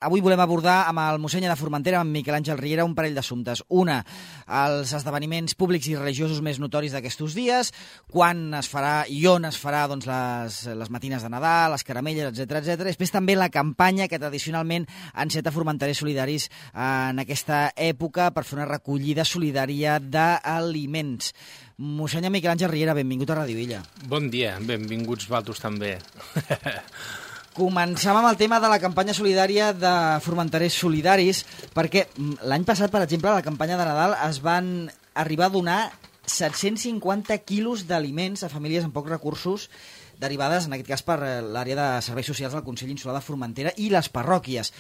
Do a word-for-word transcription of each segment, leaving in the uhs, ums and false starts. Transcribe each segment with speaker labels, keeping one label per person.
Speaker 1: Avui volem abordar amb el mossèn de Formentera, amb Miquel Àngel Riera, un parell d'assumptes. Una, els esdeveniments públics i religiosos més notoris d'aquests dies, quan es farà i on es farà doncs, les, les matines de Nadal, les caramelles, etcètera, etcètera. Després també la campanya que tradicionalment enceta Formenterers Solidaris en aquesta època per fer una recollida solidària d'aliments. Mossèn Miquel Àngel Riera, benvingut a Radio Illa.
Speaker 2: Bon dia, benvinguts vosaltres també.
Speaker 1: Començam amb el tema de la campanya solidària de Formenterers Solidaris, perquè l'any passat, per exemple, a la campanya de Nadal es van arribar a donar set-cents cinquanta quilos d'aliments a famílies amb pocs recursos, derivades, en aquest cas, per l'àrea de serveis socials del Consell Insular de Formentera i les parròquies.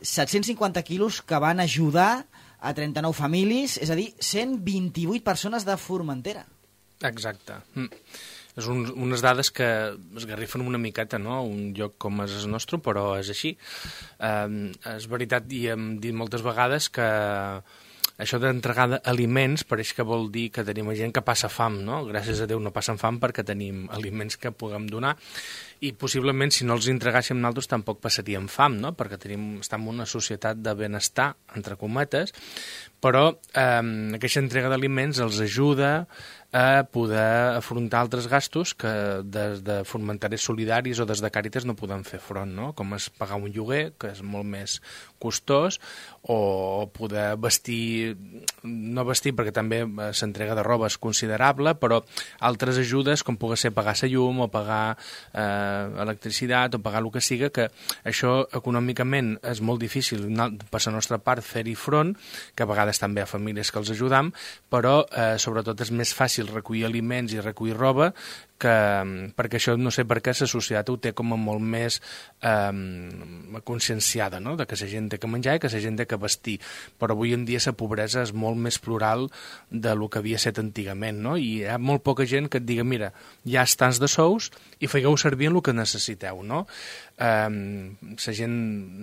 Speaker 1: set-cents cinquanta quilos que van ajudar a trenta-nou famílies, és a dir, cent vint-i-vuit persones de Formentera.
Speaker 2: Exacte. Mm. És un, unes dades que esgarrifen una miqueta, no?, un lloc com és el nostre, però és així. Eh, és veritat, i hem dit moltes vegades que això d'entregar aliments pareix que vol dir que tenim gent que passa fam, no? Gràcies a Déu no passen fam perquè tenim aliments que puguem donar, i possiblement si no els entregàssim nosaltres tampoc passaríem fam, no? Perquè tenim, estem en una societat de benestar, entre cometes, però eh, aquesta entrega d'aliments els ajuda a poder afrontar altres gastos que des de Formenterers Solidaris o des de Càritas no podem fer front, no? Com és pagar un lloguer, que és molt més costós, o poder vestir, no vestir perquè també s'entrega de roba és considerable, però altres ajudes com pugui ser pagar la llum o pagar eh, electricitat o pagar el que siga, que això econòmicament és molt difícil per la nostra part fer-hi front, que a vegades també hi ha famílies que els ajudam, però eh, sobretot és més fàcil recollir aliments i recollir roba, que, perquè això no sé per què la societat ho té com a molt més eh, conscienciada, no?, de que la gent té que menjar i que la gent té que vestir, però avui en dia la pobresa és molt més plural de lo que havia estat antigament, no?, i hi ha molt poca gent que et diga, mira, hi ha tants de sous i fegueu servir en el que necessiteu, no? Eh, la gent,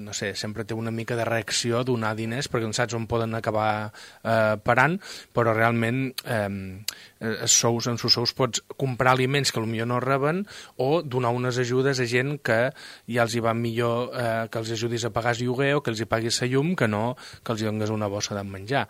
Speaker 2: no sé, sempre té una mica de reacció a donar diners perquè no saps on poden acabar eh, parant, però realment eh, els sous, en els sous pots comprar aliments que potser no reben o donar unes ajudes a gent que ja els hi va millor eh, que els ajudis a pagar el lloguer o que els hi paguis la llum que no que els hi donis una bossa de menjar.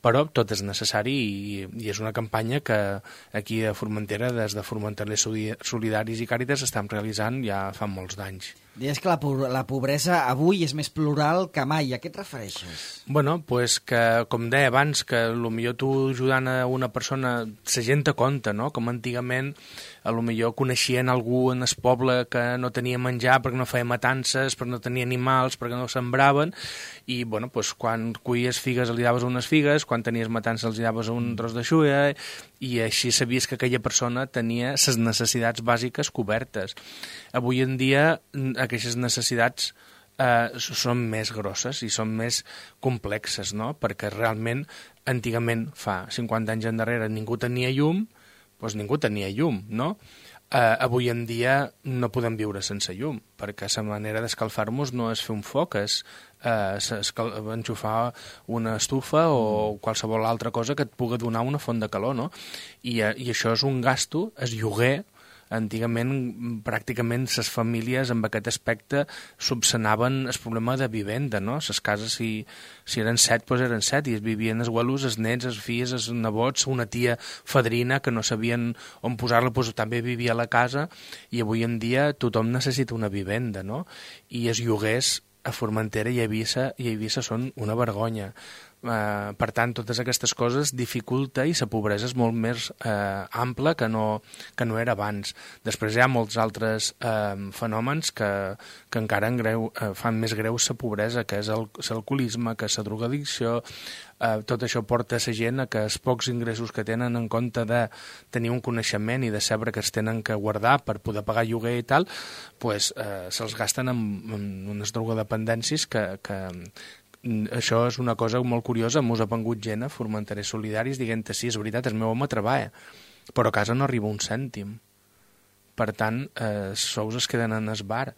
Speaker 2: Però tot és necessari i, i és una campanya que aquí a Formentera, des de Formenterers Solidaris i Càritas, estem realitzant ja fa molts d'anys.
Speaker 1: Deies que la, la pobresa avui és més plural que mai. A què et refereixes?
Speaker 2: Bueno, pues que, com deia abans, que potser tu ajudant a una persona, la gent te compta, no? Com antigament, a lo millor coneixien algú en el poble que no tenia menjar perquè no feia matances, perquè no tenia animals, perquè no sembraven, i bueno, pues, quan cuies figues li daves unes figues, quan tenies matances els daves un tros de xulla, i així sabies que aquella persona tenia les necessitats bàsiques cobertes. Avui en dia aquestes necessitats eh, són més grosses i són més complexes, no? Perquè realment, antigament, fa cinquanta anys endarrere, ningú tenia llum, doncs ningú tenia llum, no? Eh, avui en dia no podem viure sense llum, perquè la manera d'escalfar-nos no és fer un foc, és eh, enxufar una estufa o qualsevol altra cosa que et pugui donar una font de calor, no? I, i això és un gasto, és lloguer. Antigament, pràcticament, les famílies amb aquest aspecte subsanaven el problema de vivenda, no? Les cases, si, si eren set, doncs eren set, i es vivien els abuelos, els nets, els fills, els nebots, una tia fadrina que no sabien on posar-la, doncs també vivia a la casa, i avui en dia tothom necessita una vivenda, no? I els lloguers a Formentera i a Eivissa, i a Eivissa són una vergonya. Uh, per tant, totes aquestes coses dificulta i la pobresa és molt més uh, ampla que no, que no era abans. Després hi ha molts altres uh, fenòmens que, que encara en greu, uh, fan més greu la pobresa, que és l'alcoholisme, que és la drogadicció. Uh, tot això porta a la gent a que els pocs ingressos que tenen, en compte de tenir un coneixement i de saber que es tenen que guardar per poder pagar lloguer i tal, pues, uh, se'ls gasten en, en unes drogodependències que, que això és una cosa molt curiosa. Mos ha vengut gent a Formenterers Solidaris dient que sí, és veritat, el meu home treballa, però a casa no arriba un cèntim. Per tant, eh, els sous es queden en el bar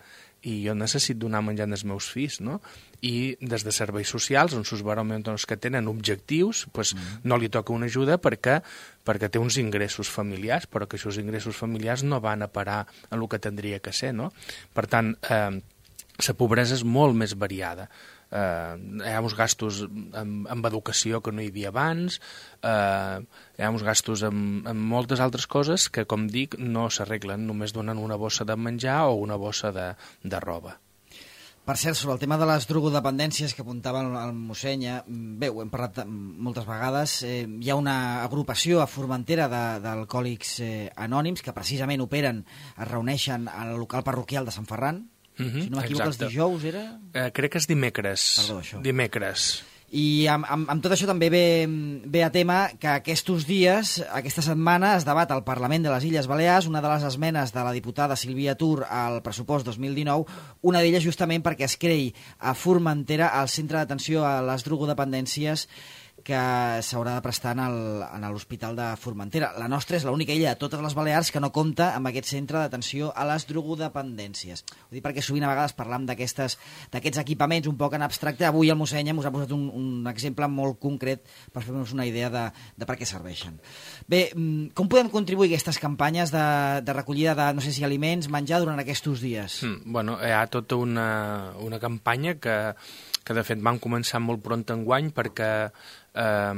Speaker 2: i jo necessito donar menjar als meus fills, no? I des de serveis socials, on sus baròmetres que tenen objectius, pues, mm. no li toca una ajuda perquè, perquè té uns ingressos familiars, però que aquests ingressos familiars no van a parar en el que tindria que ser, no? Per tant, eh, la pobresa és molt més variada. Uh, hi ha uns gastos amb, amb educació que no hi havia abans, uh, hi ha uns gastos amb, amb moltes altres coses que, com dic, no s'arreglen, només donen una bossa de menjar o una bossa de, de roba.
Speaker 1: Per cert, sobre el tema de les drogodependències que apuntava el, el mossèn, bé, ho hem parlat moltes vegades, eh, hi ha una agrupació a Formentera d'alcohòlics eh, anònims que precisament operen, es reuneixen al local parroquial de Sant Ferran.
Speaker 2: Mm-hmm,
Speaker 1: si no m'equivoco, els dijous era?
Speaker 2: Eh, crec que és dimecres.
Speaker 1: Perdó, això.
Speaker 2: Dimecres.
Speaker 1: I amb, amb, amb tot això també ve, ve a tema que aquests dies, aquesta setmana, es debat al Parlament de les Illes Balears una de les esmenes de la diputada Sílvia Tur al pressupost dos mil dinou, una d'elles justament perquè es creï a Formentera el centre d'atenció a les drogodependències que s'haurà de prestar en l'Hospital de Formentera. La nostra és l'única illa de totes les Balears que no compta amb aquest centre d'atenció a les drogodependències. Ho dic perquè sovint a vegades parlam d'aquests equipaments un poc en abstracte. Avui el mossèn us ha posat un, un exemple molt concret per fer-nos una idea de, de per què serveixen. Bé, com podem contribuir a aquestes campanyes de, de recollida de, no sé si aliments, menjar durant aquests dies?
Speaker 2: Mm, bueno, hi ha tota una, una campanya que, que de fet van començar molt pront enguany perquè eh,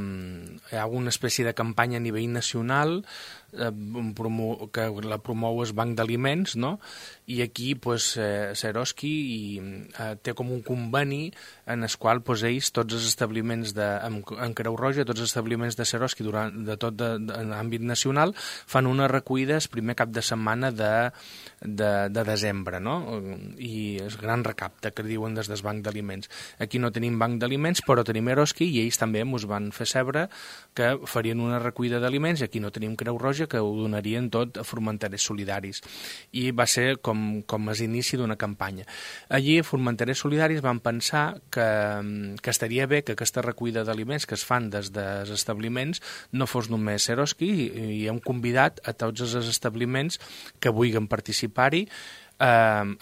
Speaker 2: hi ha una espècie de campanya a nivell nacional eh, promo, que la promou el Banc d'Aliments, no? I aquí pues, eh, Seroski i, eh, té com un conveni en el qual pues, ells, tots els establiments de, en, en Creu Roja, tots els establiments de Seroski durant, de tot de, de, en àmbit nacional fan una recollida el primer cap de setmana de, de, de desembre, no? I és gran recapte que diuen des del Banc d'Aliments. Aquí no tenim Banc d'Aliments, però tenim Eroski i ells també ens van fer saber que farien una recollida d'aliments i aquí no tenim Creu Roja, que ho donarien tot a Formenterers Solidaris. I va ser com, com és inici d'una campanya. Allí, a Formenterers Solidaris van pensar que, que estaria bé que aquesta recollida d'aliments que es fan des dels establiments no fos només Seroski i, i hem convidat a tots els establiments que vulguin participar-hi Eh,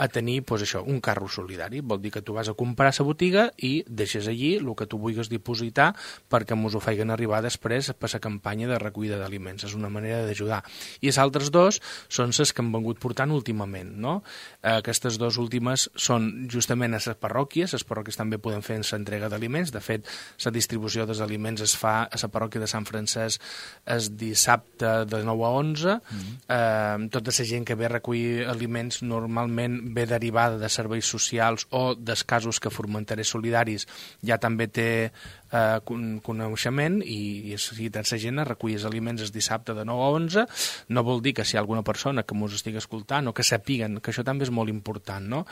Speaker 2: a tenir pues, això, un carro solidari. Vol dir que tu vas a comprar a la botiga i deixes allí el que tu vulguis dipositar perquè ens ho feien arribar després per la campanya de recollida d'aliments. És una manera d'ajudar. I els altres dos són les que han vengut portant últimament. No? Eh, aquestes dues últimes són justament a les parròquies. Les parròquies també poden fer l'entrega d'aliments. De fet, la distribució dels aliments es fa a la parròquia de Sant Francesc el dissabte de nou a onze. Mm-hmm. Eh, tota la gent que ve a recollir aliments normalment normalment ve derivada de serveis socials o dels casos que Formenterers Solidaris ja també té eh, coneixement i, i si tens la gent a recollir els aliments el dissabte de nou a onze, no vol dir que si hi ha alguna persona que m'ho estigui escoltant o que sapiguen, que això també és molt important, no?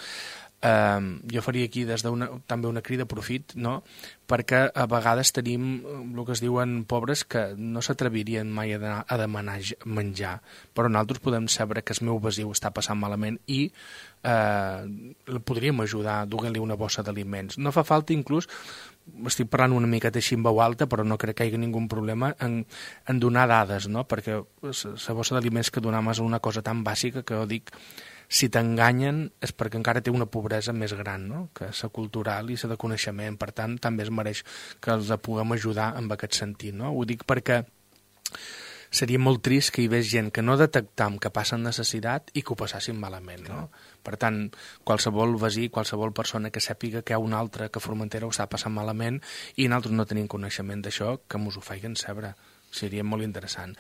Speaker 2: Uh, jo faria aquí des d'una, també una crida profit, no? Perquè a vegades tenim el que es diuen pobres que no s'atrevirien mai a, de, a demanar menjar, però nosaltres podem saber que el meu besiu està passant malament i uh, podríem ajudar donant-li una bossa d'aliments. No fa falta inclús, estic parlant una miqueta així en veu alta, però no crec que hi hagi ningú problema en, en donar dades, no? Perquè la bossa d'aliments que donem és una cosa tan bàsica que jo dic, si t'enganyen és perquè encara té una pobresa més gran, no? Que la cultural i la de coneixement. Per tant, també es mereix que els puguem ajudar en aquest sentit. No? Ho dic perquè seria molt trist que hi hagués gent que no detectam que passen necessitat i que ho passassin malament. No? Per tant, qualsevol veí, qualsevol persona que sàpiga que hi ha un altre que a Formentera ho està passant malament i nosaltres no tenim coneixement d'això, que mos ho feien saber. Seria molt interessant.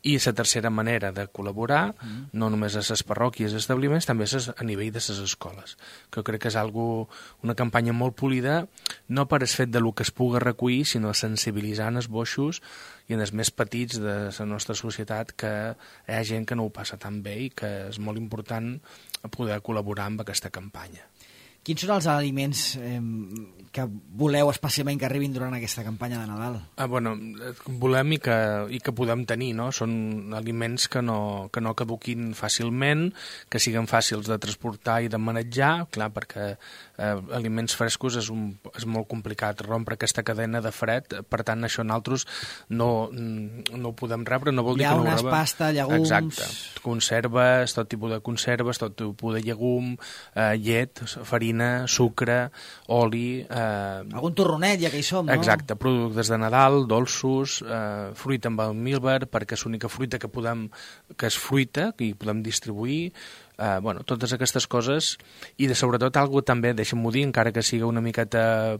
Speaker 2: I la tercera manera de col·laborar, mm. no només a les parròquies i establiments, també és a nivell de les escoles, que crec que és algo, una campanya molt polida, no per el fet de lo que es pugui recollir, sinó sensibilitzant els boixos i en els més petits de la nostra societat que hi ha gent que no ho passa tan bé i que és molt important poder col·laborar amb aquesta campanya.
Speaker 1: Quins són els aliments eh, que voleu especialment que arribin durant aquesta campanya de Nadal?
Speaker 2: Ah, bueno, volem i que, i que podem tenir, no? Són aliments que no, que no caduquin fàcilment, que siguin fàcils de transportar i de manejar, clar, perquè eh, aliments frescos és, un, és molt complicat rompre aquesta cadena de fred, per tant això nosaltres no, no ho podem rebre, no vol dir que no ho rebem.
Speaker 1: Llaunes, pasta, llegums...
Speaker 2: Exacte, conserves, tot tipus de conserves, tot tipus de llegum, eh, llet, farina, sucre, oli... Eh...
Speaker 1: Algun torronet, ja que hi som, no?
Speaker 2: Exacte, productes de Nadal, dolços, eh, fruita amb almíbar, perquè és l'única fruita que podem, que és fruita, que hi podem distribuir, Uh, bueno, totes aquestes coses, i de sobretot algo també, deixa'm-ho dir, encara que siga una miqueta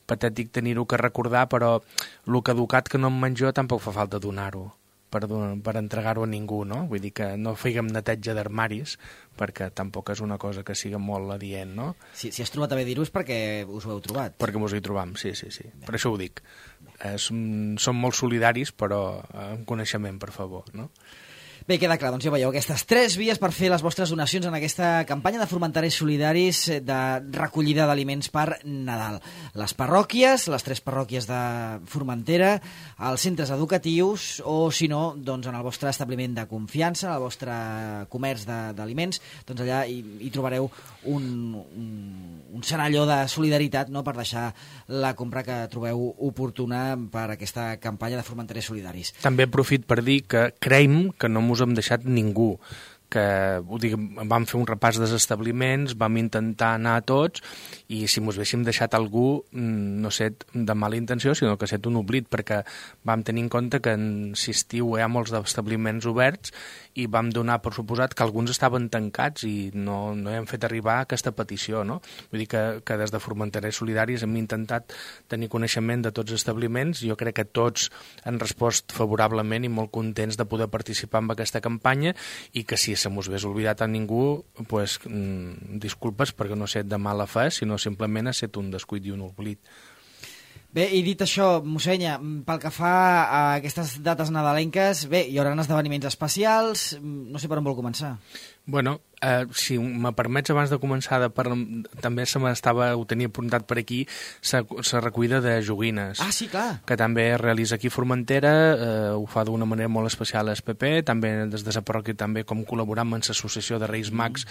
Speaker 2: patètic tenir-ho que recordar, però el que educat que no em menjo tampoc fa falta donar-ho per, per entregar-ho a ningú, no? Vull dir que no fèiem neteja d'armaris, perquè tampoc és una cosa que siga molt adient, no?
Speaker 1: Si, si has trobat a bé dir-ho és perquè us ho heu trobat.
Speaker 2: Perquè mos hi trobam, sí, sí, sí. Per això ho dic. Eh, som, som molt solidaris, però amb coneixement, per favor, no?
Speaker 1: Bé, queda clar, doncs ja veieu aquestes tres vies per fer les vostres donacions en aquesta campanya de formentarers solidaris de recollida d'aliments per Nadal. Les parròquies, les tres parròquies de Formentera, els centres educatius o, si no, doncs en el vostre establiment de confiança, en el vostre comerç d'aliments, doncs allà hi, hi trobareu un, un, un senalló de solidaritat, no?, per deixar la compra que trobeu oportuna per aquesta campanya de formentarers solidaris.
Speaker 2: També aprofit per dir que creiem que no mos hem deixat ningú, que ho dic, vam fer un repàs dels establiments, vam intentar anar a tots, i si mos haguéssim deixat algú, no sé, de mala intenció, sinó que ha estat un oblit, perquè vam tenir en compte que en estiu hi ha molts establiments oberts i vam donar per suposat que alguns estaven tancats i no, no hem fet arribar aquesta petició, no? Vull dir que, que des de Formenterers Solidaris hem intentat tenir coneixement de tots els establiments. Jo crec que tots han respost favorablement i molt contents de poder participar en aquesta campanya, i que si se mos hagués oblidat a ningú, pues, mmm, disculpes, perquè no ha estat de mala fe, sinó simplement ha estat un descuit i un oblit.
Speaker 1: Bé, i dit això, mossenya, pel que fa a aquestes dates nadalenques, bé, hi haurà esdeveniments especials, no sé per on vol començar.
Speaker 2: Bueno, eh, si me permets, abans de començar, de parlar, també se m'estava, ho tenia apuntat per aquí, la recollida de joguines.
Speaker 1: Ah, sí, clar.
Speaker 2: Que també es realitza aquí a Formentera, eh, ho fa d'una manera molt especial a S P P, també des de la parròquia, també com col·laborant amb l'associació de Reis Mags,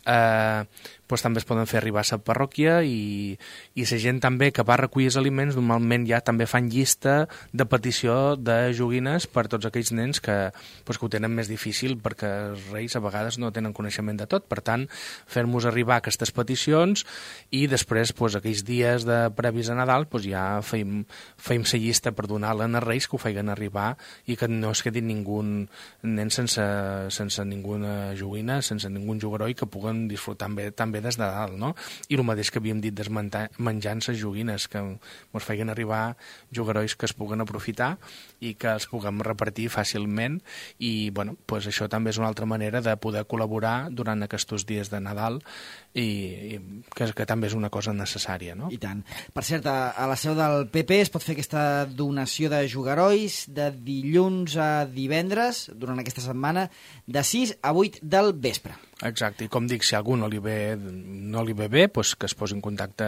Speaker 2: eh, doncs també es poden fer arribar a la parròquia, i, i la gent també que va recollir els aliments normalment ja també fan llista de petició de joguines per tots aquells nens que, doncs, que ho tenen més difícil, perquè els reis a vegades no tenen coneixement de tot. Per tant, fer-nos arribar aquestes peticions, i després, doncs, aquells dies de previs a Nadal, doncs, ja feim, feim la llista per donar-la als reis, que ho feien arribar, i que no es quedi ningú nen sense, sense ninguna joguina, sense ningú jugaró, i que puguen disfrutar bé, també des de dalt, no? I el mateix que havíem dit desmenjant les joguines, que ens feien arribar jugarois que es puguen aprofitar i que els puguem repartir fàcilment, i bueno, doncs això també és una altra manera de poder col·laborar durant aquests dies de Nadal, i, i que, que també és una cosa necessària, no?
Speaker 1: I tant. Per cert, a, a la seu del P P es pot fer aquesta donació de jugarois de dilluns a divendres, durant aquesta setmana, de sis a vuit del vespre.
Speaker 2: Exacte, i com dic, si a algú no li ve, no li ve bé, doncs que es posi en contacte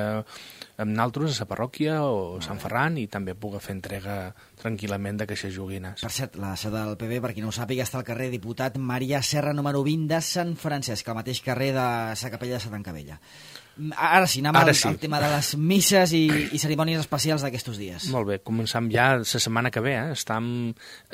Speaker 2: amb nosaltres a la parròquia o a Sant Ferran, i també pugui fer entrega tranquil·lament d'aquestes joguines.
Speaker 1: Per cert, la seu del P P, per qui no ho sàpiga, està al carrer Diputat Maria Serra número vint de Sant Francesc, al mateix carrer de la capella de Santa Encabella. Ara sí, anem al, sí. al tema de les misses i, i cerimònies especials d'aquests dies.
Speaker 2: Molt bé, començam ja la setmana que ve. Eh? Estam...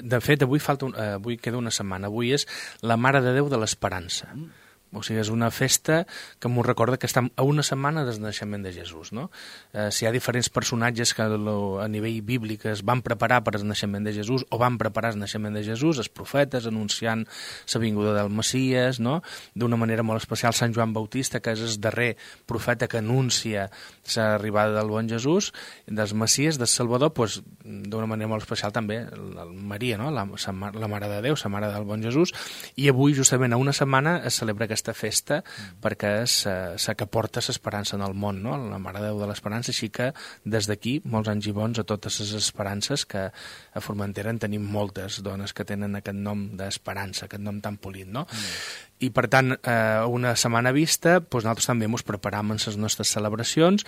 Speaker 2: De fet, avui, falta un... avui queda una setmana. Avui és la Mare de Déu de l'Esperança. Mm. O sigui, és una festa que m'ho recorda que estem a una setmana del naixement de Jesús, no? Eh, si hi ha diferents personatges que lo, a nivell bíblic es van preparar per al naixement de Jesús, o van preparar el naixement de Jesús, els profetes anunciant la vinguda del Messies, no? D'una manera molt especial, Sant Joan Bautista, que és el darrer profeta que anuncia l'arribada del bon Jesús, dels Messies, del Salvador, doncs, d'una manera molt especial també el Maria, no? la, la Mare de Déu, la Mare del bon Jesús, i avui, justament a una setmana, es celebra aquesta festa, mm. perquè és la que porta l'esperança en el món, no? La Mare de Déu de l'Esperança, així que des d'aquí, molts anys i bons a totes les esperances, que a Formentera en tenim moltes dones que tenen aquest nom d'esperança, aquest nom tan polit, no? Mm. I, per tant, eh, una setmana vista, doncs nosaltres també ens preparam en les nostres celebracions.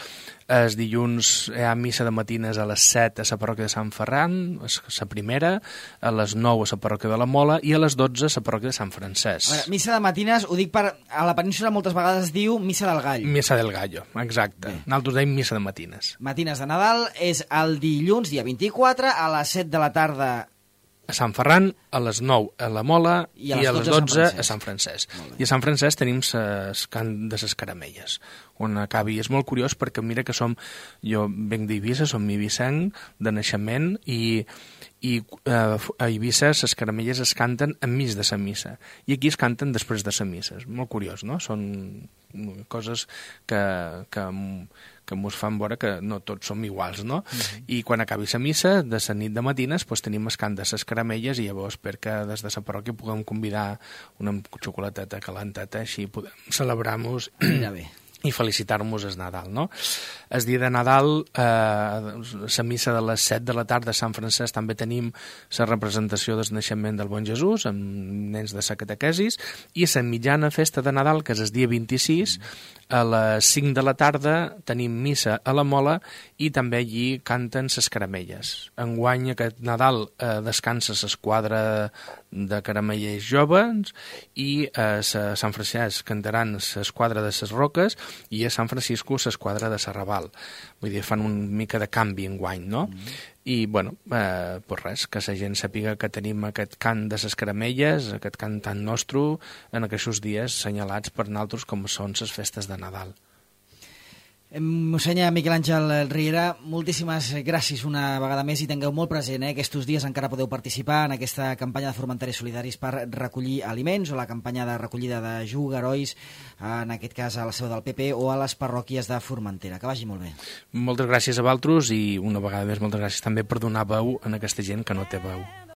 Speaker 2: Els dilluns hi ha missa de matines a les set a la parròquia de Sant Ferran, la primera, a les nou a la parròquia de la Mola, i a les dotze a la parròquia de Sant Francesc.
Speaker 1: A veure, missa de matines, ho dic per... A la península moltes vegades es diu missa del gall.
Speaker 2: Missa del gallo, exacte. Bé. Nosaltres deim missa de matines.
Speaker 1: Matines de Nadal és el dilluns, dia vint-i-quatre, a les set de la tarda
Speaker 2: a Sant Ferran, a les nou a la Mola
Speaker 1: i a les,
Speaker 2: i a les
Speaker 1: dotze
Speaker 2: a Sant Francesc. I a Sant Francesc tenim ses cant de ses caramelles, on acabi. És molt curiós perquè mira que som, jo venc d'Eivissa, som ibicenc de naixement, i, i eh, a Eivissa ses caramelles es canten enmig de la missa, i aquí es canten després de la missa. És molt curiós, no? Són coses que, que, que mos fan veure que no tots som iguals, no? Mm-hmm. I quan acabi la missa, de la nit de matines, pues, tenim el cant de les caramelles, i llavors perquè des de la parròquia puguem convidar una xocolateta calenteta, així podem celebrar-nos i felicitar-nos el Nadal, no? El dia de Nadal, eh, la missa de les set de la tarda a Sant Francesc, també tenim la representació del naixement del Bon Jesús, amb nens de la catequesis, i a la mitjana festa de Nadal, que és el dia vint-i-sis, a les cinc de la tarda tenim missa a la Mola, i també allí canten les caramelles. Enguany, aquest Nadal, eh, descansa l'esquadra de caramellers joves, i a Sant Francesc cantaran l'esquadra de les Roques, i a Sant Francisco l'esquadra de Serraval. Vull dir, fan una mica de canvi enguany, no? Mm-hmm. I, bueno, eh, pues res, que la gent sàpiga que tenim aquest cant de les caramelles, aquest cant tan nostre, en aquests dies senyalats per nosaltres com són les festes de Nadal.
Speaker 1: Mossènyer Miquel Àngel Riera, moltíssimes gràcies una vegada més, i tingueu molt present, eh? Aquests dies encara podeu participar en aquesta campanya de Formentaris Solidaris per recollir aliments, o la campanya de recollida de jugarois, en aquest cas a la seu del P P o a les parròquies de Formentera. Que vagi molt bé.
Speaker 2: Moltes gràcies a vosaltres, i una vegada més moltes gràcies també per donar veu a aquesta gent que no té veu.